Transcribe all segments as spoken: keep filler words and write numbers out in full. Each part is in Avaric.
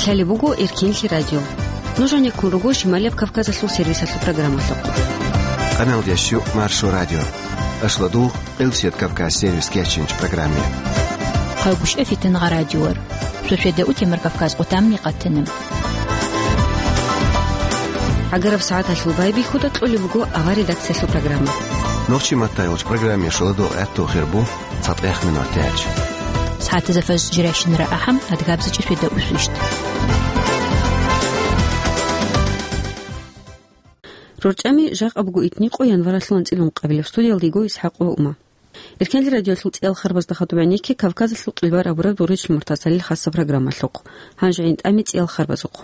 Лъалеб буго Эркенлъи радио. Нуж гьанеккун руго Шималияб Кавказалъул сервисалъул программалъухъ. Къамелдящу Маршо радио. Ашладугъ, Къилсият Кавказ сервис кечинч программе. Хъагушев Фитнагъа радиор. Суседа утемар Кавказ къутамни къатана. ГӀагараб сагӀаталъул байбихьуда кьолеб буго авар редакциялъул программа. Нохчи маттайолч программе шуладугъ гӀатту хирбу. ЦатӀех минут тяч. СагӀатазда фаз жирайщинара ахӀам, адгабзачӀи светда усвищт. РорчӀами жакъа буго итни къо январалъул анцӀила ункъабилеб. Студиялда йиго ИсхӀакъ ва Ума. Эркенлъи радиоялъул цӀиял харбазда хадуб гӀенекке Кавказалъул къилбар абураб Дугъричил МуртазгӀалил хасаб программалъухъ. Гьанже гӀин тӀами цӀиял харбазухъ.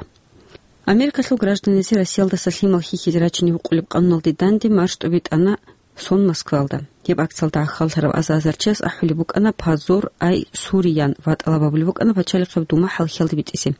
Америкалъул гражданиясе Россиялдаса лъимал хьихьизе рачине гьукъулеб къануналде данде марш тӀубитӀана сон Москвалда. Гьеб акциялда гӀахьаллъараб аза-азар чияс ахӀулеб букӀана «Позор, ай, Суриян» ва тӀалаб гьабулеб букӀана пачалихъеб дума хӀалхьиялде битӀизе.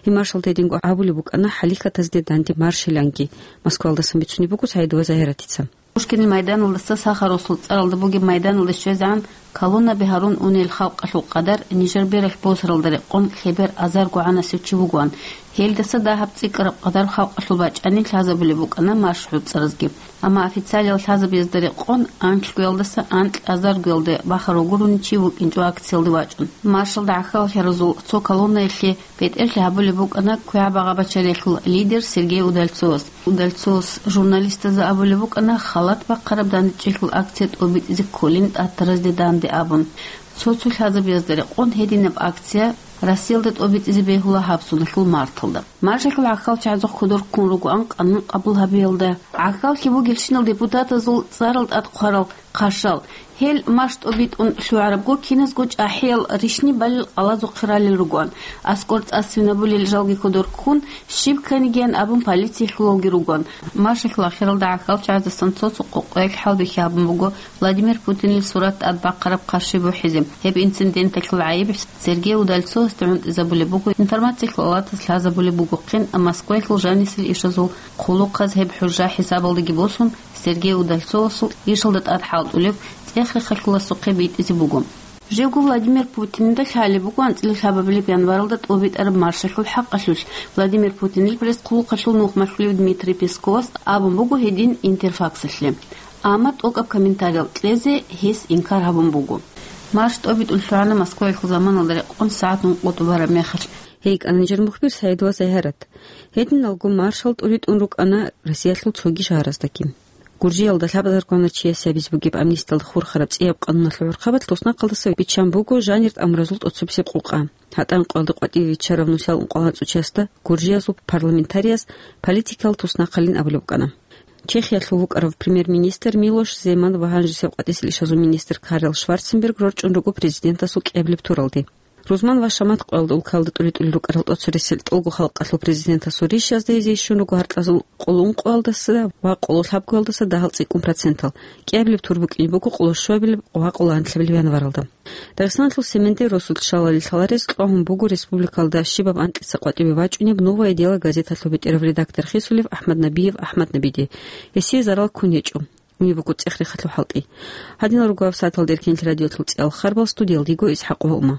Гьеб маршалда гьединго абулеб букӀана хӀалихьатазде данде маршиланги. Москвалдасан бицунеб буго СагӀидова Загьиратица. Пушкинил майданалдаса Сахаросул цӀаралда бугеб майданалде щвезегӀан колоннаби гьарун унел халкъалъул къадар нижер бералъ босаралда рекъон лъебер азарго гӀанасев чи вугоан. Гьелдаса дагьаб цӀикӀкӀараб къадар халкъалъул бачӀани лъазабулеб букӀана марш гӀуцӀаразги. Амма официалиял лъазабиязда рекъон анлъгоялдаса анкь азаргоялде бахарав гурони чи вукӀинчӀо акциялде вачӀун. Маршалда гӀахьаллъаразул цо колоннаялъе бетӀерлъи гьабулеб букӀана квегӀаб агъабачариялъул лидер Сергей Удальцовас. Удальцовас журналистазда абулеб букӀана халат бахъараб дандечӀелъул акция тӀобитӀизе кколин тӀатаразде данде абун. Цо-цо лъазабиязда рекъон гьединаб акция Россиялда тӀобитӀизе бегьула гьаб соналъул марталда. Маршалъул гӀахьалчагӀазухъ кодор ккун ругоан къанун къабул гьабиялда. ГӀахьаллъи бугелщинал депутатазул цӀарал тӀад хъварал хъарщал. Гьел марш тӀобитӀун лъугӀарабго киназго чӀахӀиял рищни балел къалазухъе ралел ругоан. АскӀор цӀа-свинабулел жалги кодор ккун, щиб кканигиян абун полициялъулалги ругоан. Маршалъул ахиралда гӀахьалчагӀаздасан цо-цо къокъоялъ хӀалбихьи гьабун буго Владимир Путинил сурат тӀад бахъараб хъарщи бухӀизе. Гьеб инциденталъул гӀайиб Сергей Удальцовасде гӀунтӀизабулеб буго, информациялъул алатас лъазабулеб бугохъин, Москваялъул жанисел ишазул хъулухъаз гьеб хӀужа хӀисабалдаги босун, Сергей Удальцовасул ишалда тӀад хӀалтӀулев цӀех-рехалъуласухъе битӀизе буго. Живго Владимир Путинда лъалеб буго анцӀила лъабабилеб январалда тӀобитӀараб маршалъул хӀакъалъулъ. Владимир Путинил пресс-хъулухъалъул нухмалъулев Дмитрий Песковас абун буго гьедин Интерфаксалъе. Амма тӀокӀаб комментариял кьезе гьес инкар гьабун буго. Марш тӀобитӀун лъугӀана Москваялъул заманалда рекъон сагӀат ункъо тӀубараб мехалъ. ГьейкӀана нижер мухбир СагӀидова Загьарат. Гьединалго маршал тӀуритӀун рукӀана Россиялъул цоги шагьараздаги. Гуржиялда лъабазаргвана чиясе абизе бугеб амнистиялда хурхараб цӀияб къануналъул гӀурхъабалъ туснахъалдаса биччан буго жанир тӀамуразул тӀоцебесеб къукъа. ГьатӀан къоялда къватӀиве виччарав нусиялда ункъо анцӀго чиясда гуржиязул парламентарияс политикалъ туснахъалин абулеб букӀана. Чехиялъул вукӀарав премьер-министр Милош Земан ва гьанжесеб къватӀисел ишазул министр Карл Шварценберг рорчӀун руго президентасул кӀиабилеб туралде. Рузман ва Шамат къоялда улкалда тӀуритӀулел рукӀарал тӀоцересел тӀолго халкъалъул президентасул рищазда гьезие щун руго гьаркьазул къоло ункъоялдаса ва къоло лъабгоялдаса дагьал цӀикӀкӀун процентал, кӀиабилеб тур букӀине буго къоло щуабилеб ва къоло анлъабилеб январалда. Дагъистаналъул Семендей росулъ шалалил лъаларез кьвагьун буго республикалда щибаб анкьица къватӀиве вачӀунеб «Новое дело» газеталъул бетӀерав редактор хисулев АхӀмад Набиев АхӀмад Набиде. Гьесие зарал ккун гьечӀо. Унеб буго цӀех-рехалъул хӀалтӀи. Гьадинал руго гьаб сагӀаталда Эркенлъи радиоялъул цӀиял харбал, студиялда йиго ИсхӀакъ ва Ума.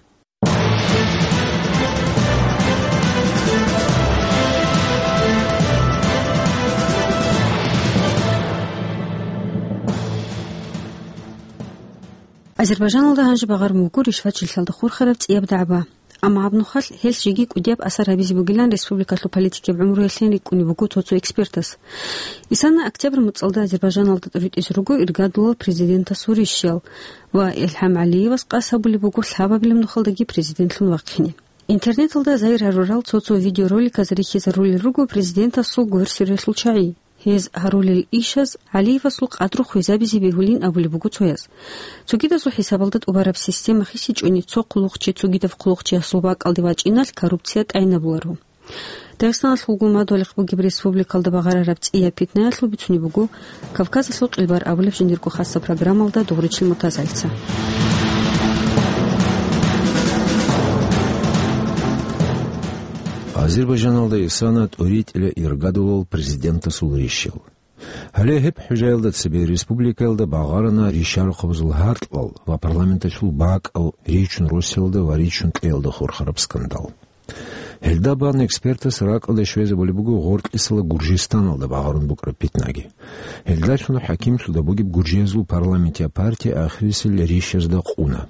Азербайжаналда гьанже багъарун буго ришвачилъалда хурхараб цӀияб дагӀба. Амма гьаб нухалъ гьелъ жеги кӀудияб асар гьабизе бугилан республикалъул политикияб гӀумруялъин рикӀкӀунеб буго цо-цо экспертас. Исана октябрь муцӀалда Азербайжаналда тӀуритӀизе руго иргадулал президентасул рищал ва ИлхӀам ГӀалиевас къасд гьабулеб буго лъабабилеб нухалдаги президентлъун вахъине. Интернеталда зайир гьарурал цо-цо видеороликаз рихьизарулел руго президентасул гверсиялъул чагӀи. Гьез гьарулел ишаз ГӀалиевасул къадру хвезабизе бегьулин абулеб буго цояз. Цогидазул хӀисабалда тӀубараб система хисичӀони цо хъулухъчи цогидаб хъулухъчиясул бакӀалде вачӀиналъ коррупция тӀайнабуларо. Дагъистаналъулго мадугьалихъ бугеб республикалда багъарараб цӀияб питнаялъул бицунеб буго Кавказалъул къилбар абулеб жиндирго хасаб программалда Дугъричил МуртазгӀалица. Азербайжаналда исана тӀуритӀила иргадулал президентасул рищал. Гьале гьеб хӀужаялда цебе республикаялда багъарана ришарахъабазул гьаркьал ва парламенталъул бакӀал ричун росиялда ва ричун кьеялда хурхараб скандал. Гьелда бан экспертас ракӀалде щвезабулеб буго гъоркьисала Гуржистаналда багъарун букӀараб питнаги. Гьелдалъун хӀакимлъуда бугеб гуржиязул парламентиял партия ахирисел рищазда къуна.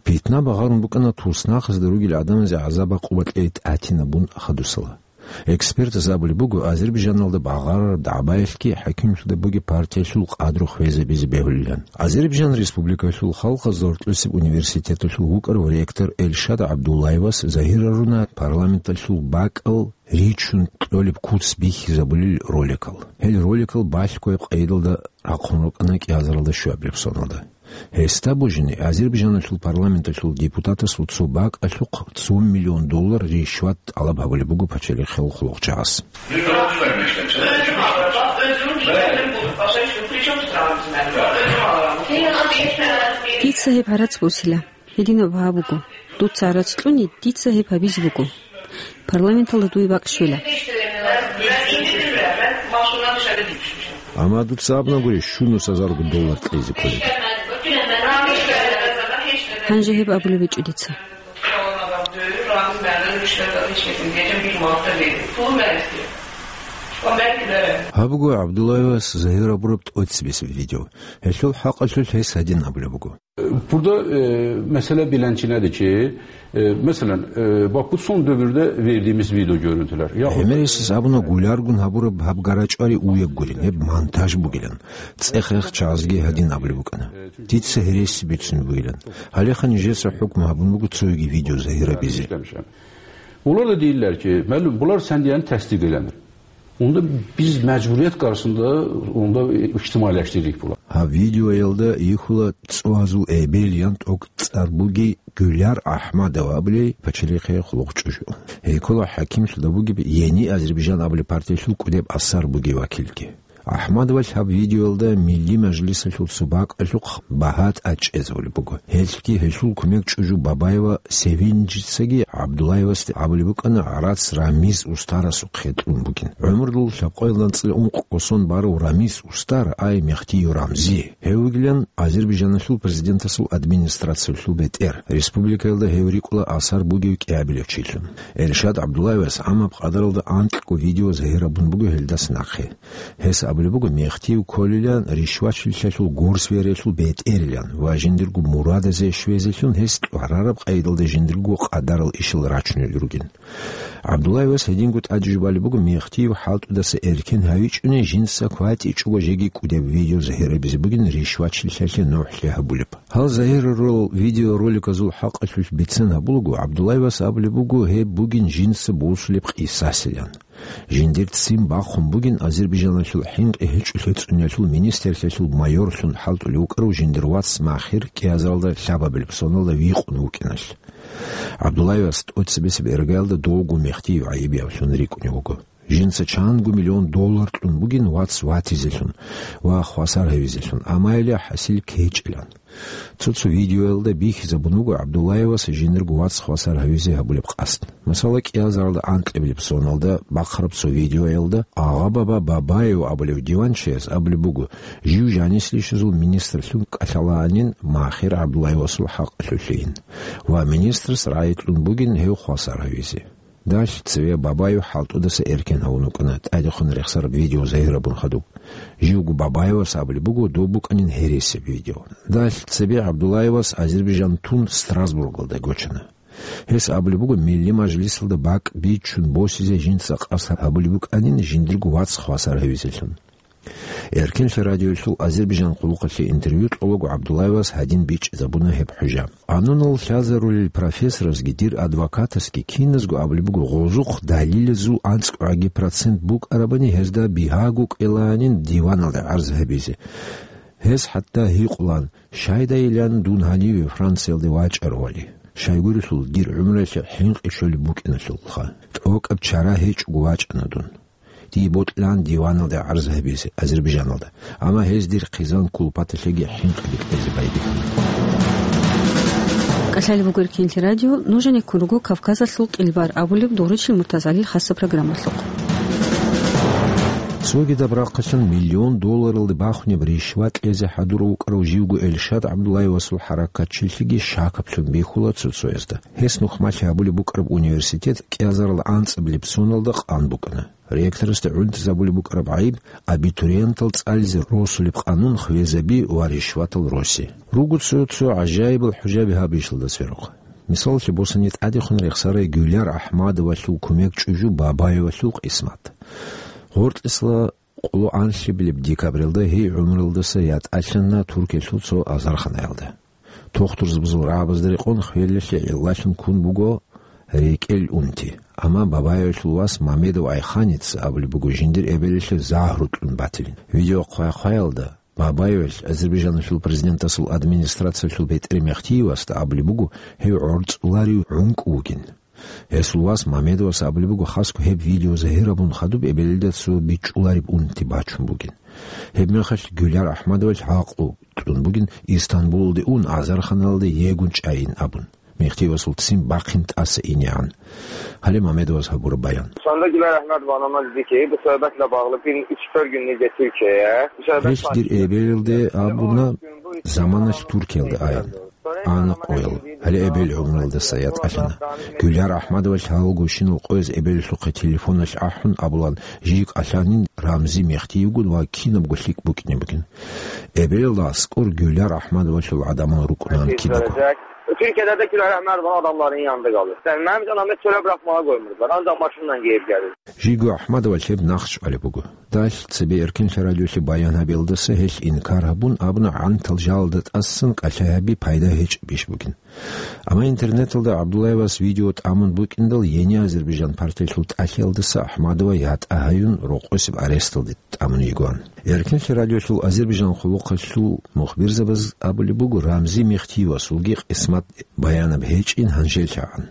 Питна багъарун букӀана туснахъазда ругел гӀадамазе гӀазаб-гӀакъуба кьей тӀатинабун хадусала. Экспертаз абулеб буго, Азербайджаналда багъарараб дагӀбаялъги хӀакимлъуда бугеб партиялъул къадру хвезабизе бегьулилан. Азербайджан Республикалъул халкъазда гьоркьосеб университеталъул вукӀарав ректор Эльшад ГӀабдуллаевас загьир гьаруна парламенталъул бакӀал ричун кьолеб куц бихьизабулел роликал. Гьел роликал балъго гьеб къайдалда рахъун рукӀана кӀиазаралда щуабилеб соналда. Гьесда божине Азербайджаналъул парламенталъул депутатасул цо бакӀалъухъ цо миллион доллар ришват тӀалаб гьабулеб буго пачалихъал хъулухъчагӀаз. Дица гьеб гӀарац босила. Гьединаб гьаб буго. Дуца гӀарац кьуни, дица гьеб гьабизе буго. Парламенталда дуе бакӀ щвела. Амма дуца абуна гури, щунус гьазарго доллар кьезе кколеб. Гьанже гьеб абулеб гьечӀо дица. Гьаб буго ГӀабдуллаевас загьир гьабураб тӀоцебесеб видео. Гьелъул хӀакъалъулъ гьес гьадин абулеб буго. Burada, e, mesele bilencine de ki, e, mesela, e, bak bu son dönemde verdiğimiz video görüntüler. Ya. ГӀемерисез абуна гуляргун гьабураб гьаб гарачӀвари уеб гурин, гьеб монтаж бугилан. ЦӀех-рех чагӀазги гьадин абулеб букӀана. Дица гьереси бицунеб бугилан. Гьалеха нижеца хӀукму гьабун буго цоги видео загьир гьабизе. Bunlar da değiller ki, malum, bunlar sen diyen tesdik edendir. Onda biz mecburiyet karşısında onda ihtimalleştirdik bunlar. Гьаб видеоялда йихьула цӀугьазул эбел ян тӀокӀцӀар бугей Гуляр Ахмадова абулей пачалихъе хъулухъ чӀужу. Гьей ккола хӀакимлъуда бугеб Ени Азербайджан абулеб партиялъул кӀудеб асар бугей вакилги. Ахмадовалъ гьаб видеоялда Милли мажлисалъул цо бакӀалъухъ багьа тӀад чӀезабулеб буго. Гьелъги гьелъул кумек чӀужу Бабаева Севинжицаги ГӀабдуллаевасде абулеб букӀана гӀарац Рамиз устарасухъе кьун бугин. ГӀумрудул лъабкъоялда анцӀила ункъ кӀосон барав Рамиз устар, ай Мехтиев Рамзи. Гьев вугилан Азербайджаналъул президентасул администрациялъул бетӀер, республикаялда гьев рикӀкӀула асар бугев кӀиабилев чилъун. Эльшад ГӀабдуллаевас гӀамаб къадаралда анкьго видео загьир гьабун буго гьелдаса нахъе. Гьес абулеб буго, Мехтиев кколилан ришвачилъалъул горсвериялъул бетӀерилан ва жиндирго мурадазе щвезелъун гьес кьварараб къайдалда жиндирго къадарал ишал рачунел ругин. ГӀабдуллаевас гьединго тӀаде жубалеб буго, Мехтиев хӀалтӀудаса эркен гьавичӀони жинца кватӀичӀого жеги кӀудеб видео загьир гьабизе бугин ришвачилъалъе нухӀлъи гьабулеб. Гьал загьир гьарурал видеороликазул хӀакъалъулъ бицен гьабулаго, ГӀабдуллаевас абулеб буго, гьеб бугин жинца босулеб къисасилан. Жиндир ццин бахъун бугин Азербайджаналъул хӀинкъи гьечӀолъи цӀуниялъул министрлъиялъул майорлъун хӀалтӀулев вукӀарав жиндир вац Махир кӀиазаралда лъабабилеб соналда вихъун вукӀиналъ. ГӀабдуллаевас тӀоцебесеб иргаялда довго Мехтиев гӀайибиявлъун рикӀкӀунев вуго. Жинца чанго миллион доллар кьун бугин вац ватизелъун ва хвасар гьавизелъун, амма гьеле хӀасил ккечӀилан. Цо-цо видеоялда бихьизабун буго ГӀабдуллаевас жиндирго вац хвасар гьавизе гьабулеб къасд. Масала, кӀиазаралда анкьабилеб соналда бахъараб цо видеоялда Агъа-баба Бабаев абулев диванчияс абулеб буго, жив жанислъищазул министрлъун кӀалъалаанин Махир ГӀабдуллаевасул хӀакъалъулъейин ва министрас рагӀи кьун бугин гьев хвасар гьавизе. Далъ цеве Бабаев хӀалтӀудаса эркен гьавун вукӀана тӀадехун рехсараб видео загьир гьабун хадуб. Живго Бабаевас абулеб буго, доб букӀанин гьересияб видео. Далъ цебе ГӀабдуллаевас Азербайджан тун Страсбургалда гочана. Гьес абулеб буго, Милли мажлисалда бакӀ бичун босизе жинца къасд гьабулеб букӀанин жиндирго вац хвасар гьавизелъун. Эркенлъи радиоялъул Азербайджан къулухъалъе интервью кьолаго ГӀабдуллаевас гьадин бичӀчӀизабуна гьеб хӀужа. Къануналъ лъазарулел профессорасги дир адвокатасги киназго абулеб буго, гъозухъ далилазул анцӀгӀаги процент букӀарабани гьезда бигьаго кӀелаанин диваналда гӀарз гьабизе. Гьес хӀатта гьикъулан, щайдайилан дун гьаниве Франциялде вачӀаравали, щайгурелъул дир гӀумруялъе хӀинкъи щолеб букӀиналъулха. ТӀокӀаб чара гьечӀого вачӀана дун. Дие бокьилаан диваналда гӀарз гьабизе Азербайджаналда, амма гьез дир хъизан кулпаталъеги хӀинкъиги кьезе байбихьана. КӀалъалеб буго Эркенлъи радио, нуж гьанеккун руго Кавказалъул кьилбар абулеб Доручил Муртазалил хасаб программалъухъ. Цогидаб рахъалъан миллион долларалде бахунеб ришват кьезе хӀадурав вукӀарав живго Эльшад ГӀабдуллаевасул хӀаракатчилъиги шакаблъун бихьула цо-цоязда. Гьес нухмалъи гьабулеб букӀараб университет кӀиазарал анцӀабилеб соналда къан букӀана. Ректорасда гӀунтӀизабулеб букӀараб гӀайиб, абитуриентал цӀализе росулеб къанун хвезаби ва ришватал роси. Руго цо-цо гӀажаибал хӀужаби гьаб ишалда церухъ. Мисалалъе босани, тӀадехун рехсарай Гуьлар АхӀмадовалъул кумек чӀужу Бабаевалъул къисмат. ГъортӀисла къоло анлъабилеб декабралда гьей гӀумруялдаса ятӀалъана Туркиялъул цо азарханаялда. Тухтурзабазул рагӀабазда рекъон хвелалъе гӀиллалъун ккун буго рекӀел унти. Амма Бабаевалъул вас Мамедов Айханица абулеб буго жиндир эбелалъе загьру кьун батилин. Видеохъвай-хъваялда Бабаевалъ Азербайжаналъул президентасул администрациялъул бетӀер Мехтиевасда абулеб буго гьев гӀорцӀуларев гӀункӀ вугин. Гьесул вас Мамедовас абулеб буго, хасго гьеб видео загьир гьабун хадуб эбелалда цо бичӀчӀулареб унти бачун бугин. Гьеб мехалъ Гуьлар АхӀмадовалъ гӀакълу кьун бугин Истанбулалде ун, азарханалде йигун чӀайин абун, Мехтиевасул ццин бахъин тӀаса инегӀан. Гьале Мамедовас гьабураб баян. Сонда Гуьлар АхӀмадова анана диде, бу сугьбатла багълу бин ичбер гуьнниги Туркияе. Гьелъ дир эбелалде абуна, заманалъ Туркиялда аян. Ана къоял. Гьале эбел гӀумруялдаса ятӀалъана. Гуьлар АхӀмадовалъ гьалгощинал къояз эбелалъухъе телефоналъ ахӀун абулан, жий кӀалъанин Рамзи Мехтиевгун ва кинабго лъикӀ букӀине бугин. Эбелалда аскӀор Гуьлар АхӀмадовалъул гӀадамал рукӀунаан кидаго. Türkiye'de de Gül Erhmer var, adamların yanında kalır. Yani benim canımı çöle bırakmaya koymuşlar. Ancak başımdan giyip geldim. Жиго АхӀмадовалъ гьеб нахъчӀвалеб буго. Далъ цебе Эркинлъи радиолъе баян гьабиялдаса гьелъ инкар гьабун абуна, гӀантал жалалда тӀасан кӀалъай гьаби пайда гьечӀеб иш бугин. Амма интернеталда ГӀабдуллаевас видео тӀамун букӀиндал, Ени Азербайжан партиялъул тӀалъиялдаса АхӀмадова ятӀа гьаюн рокъосеб аресталде тӀамун йигоан. Эркинлъи радиолъул Азербайжан хъулухъалъул мухбирзабаз абулеб буго, Рамзи Мехтиевасулги къисмат баянаб гьечӀин гьанжелъагӀан.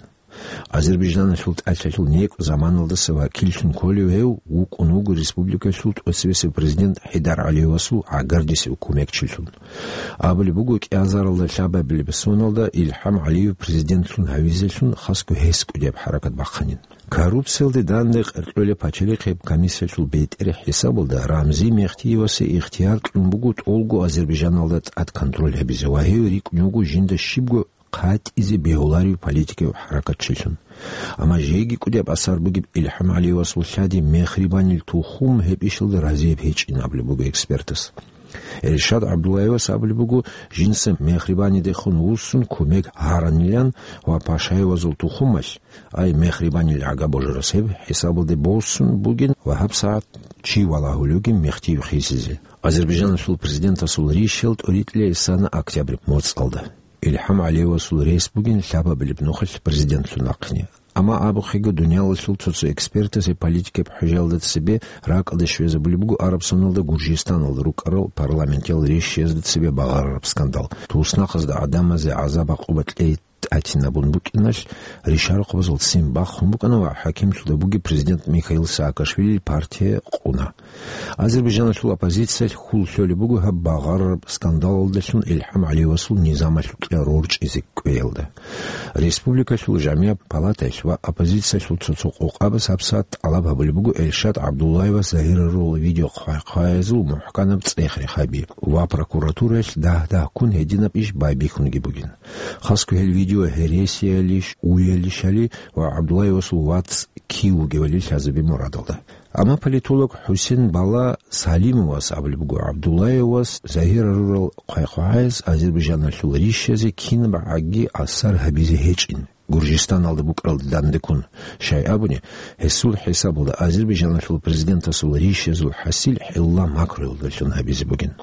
Азербайжаналъул тӀалъалъул некӀ заманалдаса вакиллъун кколев гьев вукӀун вуго республикалъул тӀоцебесев президент ХӀидар ГӀалиевасул гӀагардисев кумекчилъун. Абулеб буго, кӀиазаралда лъабабилеб соналда ИлхӀам ГӀалиев президентлъун гьавизелъун хасго гьес кӀудияб хӀаракат бахъанин. Коррупциялде данде къеркьолеб пачалихъеб комиссиялъул бетӀер хӀисабалда Рамзи Мехтиевасе ихтияр кьун буго тӀолго Азербайжаналда тӀад контроль гьабизе ва гьев рикӀкӀун вуго жинда щибго хъатӀизе бегьуларев политикав хӀаракатчилъун. Амма жеги кӀудияб асар бугеб ИлхӀам ГӀалиевасул лъади мехрибанил тухум гьеб ишалда разияб гьечӀин абулеб буго экспертас. Эльшад ГӀабдуллаевас абулеб буго, жинца мехрибанидехун вуссун кумек гьаранилан ва Пашаевазул тухумалъ, ай мехрибанил гӀага божарас гьеб хӀисабалде босун бугин ва гьабсагӀат чи валагьулевги Мехтиев хисизе. Азербайжаналъул президентасул ришал тӀоритӀлъи исана октябрь моцӀалда. ИлхӀам ГӀалиевасул рес бугин лъабабилеб нухалъ президентлъун вахъине. Амма абухъего, дуниялалъул цо-цо экспертас гьеб политикаб хӀужаялда цебе ракӀалде щвезабулеб буго араб соналда Гуржистаналда рукӀарал парламентиял ришиязда цебе багъарараб скандал. Туснахъазда гӀадамазе гӀазаб-гӀакъуба кьей тӀатинабун букӀиналъ, ришарахъубазул ццин бахун букӀана ва хӀакимлъуда бугеб президент Михаил Саакашвилил партия къуна. Азербайжаналъул оппозициялъ хьул лъолеб буго гьаб багъарараб скандалалдалъун ИлхӀам ГӀалиевасул низамалъукьа рорчӀизе кӀвеялда. Республикалъул жамигӀаб палатаялъ ва оппозициялъул цо-цо къокъабаз гьабсагӀат тӀалаб гьабулеб буго Эльшад ГӀабдуллаевас загьирарурал видеохъвай-хъваязул мухӀканаб цӀех-рех гьаби ва прокуратураялъ дагь-дагьккун гьединаб иш байбихьунги бугин. Хасго гьел видео гьересиялищ, уялищали ва ГӀабдуллаевасул вацӀ кив вугевали лъазабе мурадалда. Амма политолог ХӀусен Бала Салимовас абулеб буго, ГӀабдуллаевас загьирарурал хъвай-хъвагӀаяз Азербайжаналъул ришазе кинаб гӀаги асар гьабизе гьечӀин, Гуржистаналда букӀаралда дандеккун. Щай абуни, гьесул хӀисабалда Азербайжаналъул президентасул ришазул хӀасил хӀилла макруялдалъун гьабизе бугин.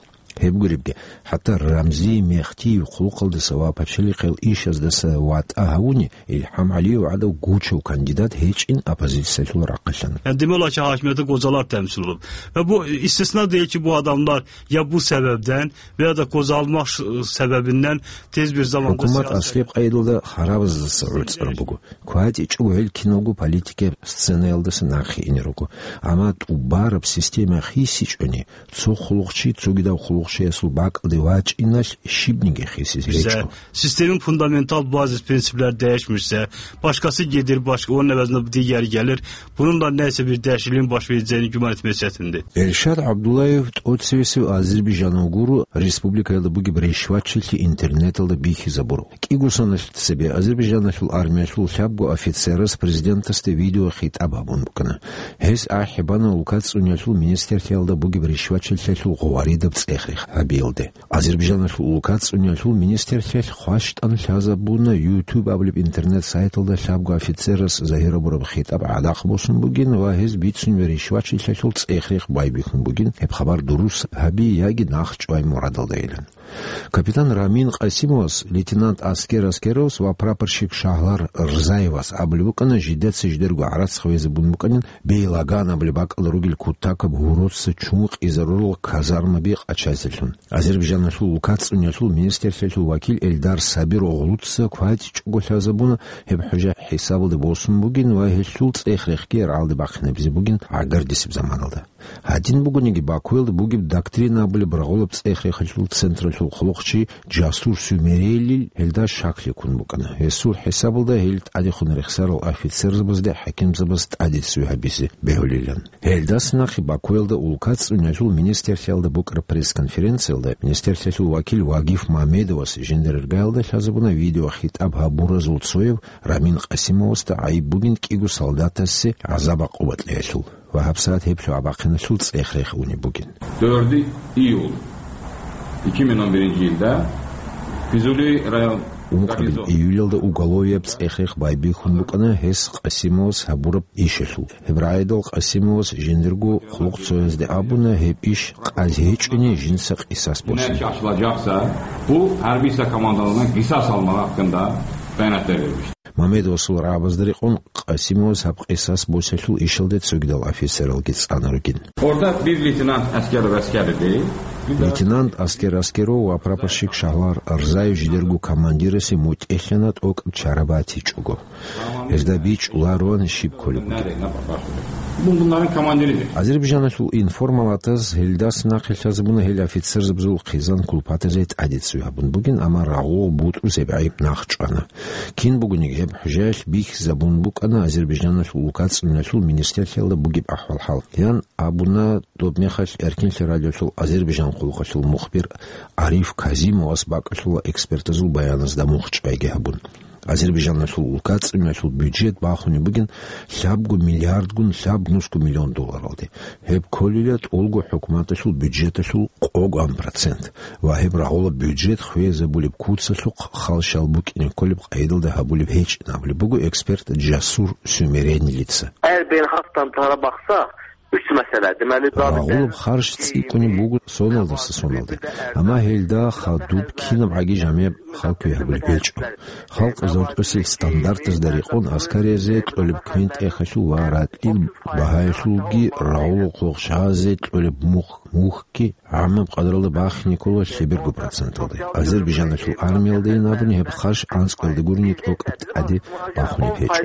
Гьеб гуребги, хӀатта Рамзи Мехтиев хъулухъалдаса ва пачалихъел ишаздаса ватӀа гьавуни, ИлхӀам ГӀалиев гӀадав гучав кандидат гьечӀин оппозициялъул рахъалъан. Гьанде мола чагьашмета гозалар тамсилаб. Ва бу истисна дечи бу адамлар я бу себебден, ва я да козалмаш себебинден тез бир заманда ХӀукумат сиаси аслеб къайдалда харабаздаса гӀуцӀар буго. КватӀичӀого гьел киналго политикаб сценаялдаса нахъе ине руго. Амма тӀубараб система хисичӀони, цо хъулухъчи цогидав хъулухъ къоялъул бакӀалде вачӀиналъ щибниги хисизе гьечӀо. Системин фундаментал базис принциплар дегьишмуса, башкаси гьедир башка унебазна дигяр гьалир, бунунда несебир дегьишлин башвидзени гуманит месетинде. Эльшад ГӀабдуллаев тӀоцевесев азербайжанав гуро республикаялда бугеб ришвачилъи интернеталда бихьизабурав. КӀиго соналъ цебе Азербайжаналъул армиялъул лъабго офицерас президентасде видеохитӀаб гьабун букӀана. Гьес ахӀи бана улкацӀцӀуниялъул министрлъиялда бугеб ришвачилъиялъул гъоваридаб цӀех-рех гьабиялде. Азербайжаналъул улкацӀцӀуниялъул министрлъиялъ хващтӀан лъазабуна YouTube абулеб интернет-сайталда лъабго офицерас загьирабураб хитӀаб гӀадахъ босун бугин ва гьез бицунеб ришвачилъиялъул цӀех-рех байбихьун бугин, гьеб хабар дурус гьаби яги нахчӀвай мурадалдайилан. Капитан Рамин Къасимовас, лейтенант Аскер Аскеровас ва прапорщик Шагьлар Рзаевас абулеб букӀана, жидеца жидерго гӀарац хвезе бун букӀанин, Бейлаган абулеб бакӀалда ругел кутакаб гьороца чун къизарурал казармаби къачазелъун. Азербайжаналъул улкацӀцӀуниялъул министрлъиялъул вакил Эльдар Сабир оглуца квайчӀого лъазабуна, гьеб хӀужа хӀисабалде босун бугин ва гьелъул цӀех-рехги рагӀалде бахъинабизе бугин гӀагардисеб заманалда. Гьадин бугониги, Бакуялда бугеб доктрина абулеб рагъулаб цӀех-рехалъул централъул хъулухъчи Жасур Сюмерелил гьелда щаклъи ккун букӀана. Гьесул хӀисабалда гьел тӀадехун рехсарал офицерзабазде хӀакимзабаз тӀаде цӀуй гьабизе бегьулилан. Гьелдаса нахъе Бакуялда улкацӀцӀуниялъул министрлъиялда букӀараб пресс-конференциялда министрлъиялъул вакил Вагиф Мамедовас жиндир иргаялда лъазабуна видеохитӀаб гьабуразул цояв Рамин Къасимовасда гӀайиб бугин кӀиго солдатасе гӀазаб гӀакъуба кьеялъул ва гьабсагӀат гьеб лъугӀа-бахъиналъул цӀех-рех унеб бугин. Дорди июл, икиминан биринчи йилда Физули район. Ункъабил июлялда уголовияб цӀех-рех байбихьун букӀана гьес Къасимовас гьабураб ишалъул. Гьеб рагӀидал Къасимовас жиндирго хъулухъцоязде абуна гьеб иш къазе гьечӀони жинца къисас босине. Бу гьарбиса командалана гисас алмагъ хакканда баянат берилищ. Мамедовасул рагӀабазда рекъон Къасимовас гьаб къисас босиялъул ишалде цогидал офицералги цӀана ругин. Орда бир лейтенант Аскеров Аскеров. Лейтенант Аскер Аскеров ва прапорщик Шагьлар Арзаев жидерго командирасе мутӀигӀлъана тӀокӀаб чара батичӀого. Гьезда бичӀчӀулароан щиб кколеб бугеб. Бу-, бунагьан командиризе. Азербайжаналъул информалатаз гьелдаса нахъе лъазабуна гьел офицерзабазул хъизан кулпатазе тӀаде цӀуй гьабун бугин, амма рагъул бутӀрузеб гӀайиб нахчӀвана. Кин бугониги гьеб хӀужаялъ бихьизабун букӀана Азербайжаналъул улкацӀцӀуниялъул министрлъиялда бугеб ахӀвал-хӀал. Ян абуна доб мехалъ Эркинлъи радиолъул Азербайжан къулухъалъул мухбир Ариф Казимовас бакӀалъула экспертазул баяназда мухчӀайги гьабун. Азербайжаналъул улкацӀцӀуниялъул бюджет бахунеб бугин лъабго миллиардгун лъабнусго миллион долларалде. Гьеб кколила тӀолго хӀукуматалъул бюджеталъул къоган процент ва гьеб рагъула бюджет хвезабулеб куцалъухъ халщал букӀине кколеб къайдалда гьабулеб гьечӀин абулеб буго эксперт Жасур Сюмеренилица. Her bir halktan tara baksa, üç mesele. Deməli, Рагъулаб харщ цӀикӀкӀунеб буго соналдаса соналде, амма гьелда хадуб кинабгӀаги жамигӀ халкуе гьабулеб гьечӀо. Халкъ зодтӀусел стандартазда рекъон аскаризе кьолеб квен-тӀехалъул ва ратӀил багьаялъулги рагъулухъ гъоркь щвазе кьолеб мухь, мухьги гӀаммаб къадралда бахине ккола лъеберго проценталде. Азербайжаналъул армиялдайин абуни гьеб харщ анцӀкӀалде гурони тӀокӀаб тӀаде бахунеб гьечӀо.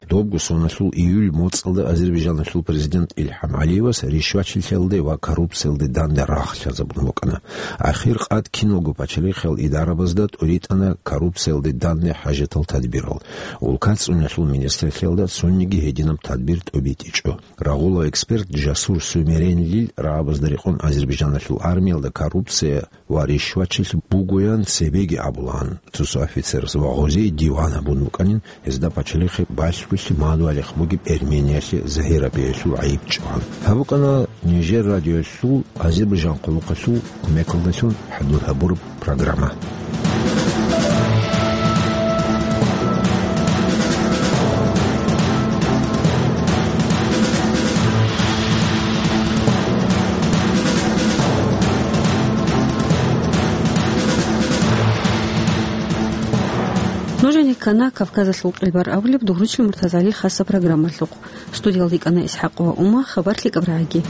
Добго соналъул июль моцӀалда Азербайжаналъул президент Илхам ГӀалиевас ришвачилъиялде ва коррупциялде данде рагъ лъазабун букӀана. Ахир къад киналго пачалихъиял идарабазда тӀуритӀана коррупциялде данде хӀажатал тадбирал. УлкацӀцӀуниялъул министрлъиялда цониги гьединаб тадбир тӀобитӀичӀо. Рагъула эксперт Жасур Сюмеренлил рагӀабазда рекъон Азербайжаналъул армиялда коррупция ва ришвачилъи бугоян цебеги абулаан цо-цо офицерас ва гъозие диван гьабун букӀанин, гьезда пачалихъе балъголъи мадугьалихъ бугеб Эрмениялъе загьирабиялъул гӀайиб чӀван. Гьаб букӀана Нижер радиоялъул Азербайжан къулухъалъул кумекалдалъун хӀадур гьабураб программа. Нужеца ккана Кавказалъул къилбар абулеб Дугручил МуртазагӀалил хасаб программалъухъ. Студиялда йикӀана ИсхӀакъова Ума, хабар лъикӀаб рагӀаги.